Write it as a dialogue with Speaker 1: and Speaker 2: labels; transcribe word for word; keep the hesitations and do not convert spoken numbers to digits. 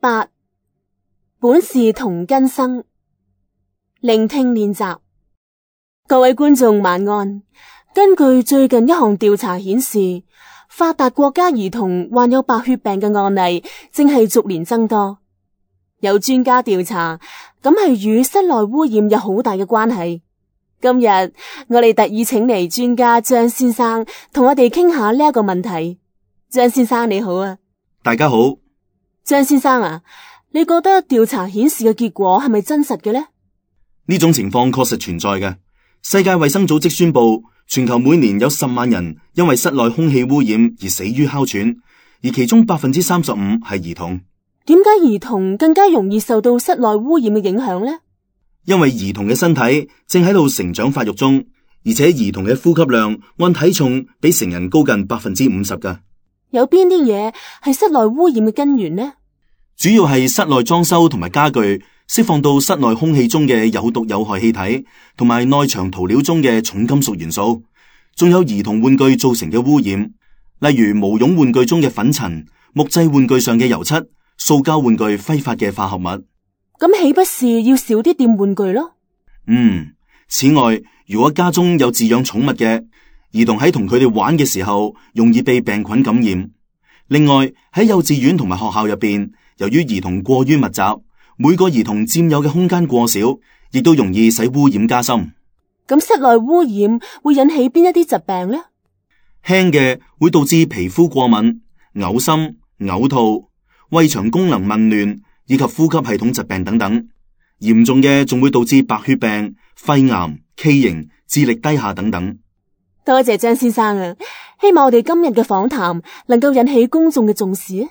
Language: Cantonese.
Speaker 1: 八，本是同根生。聆聽練習。各位觀眾晚安。根據最近一項調查顯示，發達國家兒童患有白血病嘅案例正係逐年增多。有專家調查，咁係與室內污染有好大嘅關係。今日我哋特意請嚟專家張先生同我哋傾下呢一個問題。張先生你好啊。
Speaker 2: 大家好。
Speaker 1: 張先生啊，你覺得調查顯示嘅結果係咪真實嘅呢？
Speaker 2: 呢種情況確實存在嘅。世界衛生組織宣布，全球每年有十萬人因為室內空氣污染而死於哮喘，而其中百分之三十五係兒童。
Speaker 1: 點解兒童更加容易受到室內污染嘅影響呢？
Speaker 2: 因為兒童嘅身體正喺度成長發育中，而且兒童嘅呼吸量按體重比成人高近百分之五十㗎。
Speaker 1: 有邊啲嘢係室內污染嘅根源呢？
Speaker 2: 主要係室內裝修同埋家具釋放到室內空氣中嘅有毒有害氣體，同埋內牆塗料中嘅重金屬元素，仲有兒童玩具造成嘅污染，例如毛絨玩具中嘅粉塵、木製玩具上嘅油漆、塑膠玩具揮發嘅化合物。
Speaker 1: 咁豈不是要少啲掂玩具咯？
Speaker 2: 嗯，此外，如果家中有飼養寵物嘅兒童喺同佢哋玩嘅時候，容易被病菌感染。另外，喺幼稚園同埋學校入邊，由於兒童過於密集，每個兒童佔有嘅空間過少，亦都容易使污染加深。
Speaker 1: 咁室內污染會引起邊一啲疾病呢？
Speaker 2: 輕嘅會導致皮膚過敏、嘔心、嘔吐、胃腸功能紊亂以及呼吸系統疾病等等。嚴重嘅仲會導致白血病、肺癌、畸形、智力低下等等。
Speaker 1: 多謝張先生啊，希望我哋今日嘅訪談能夠引起公眾嘅重視。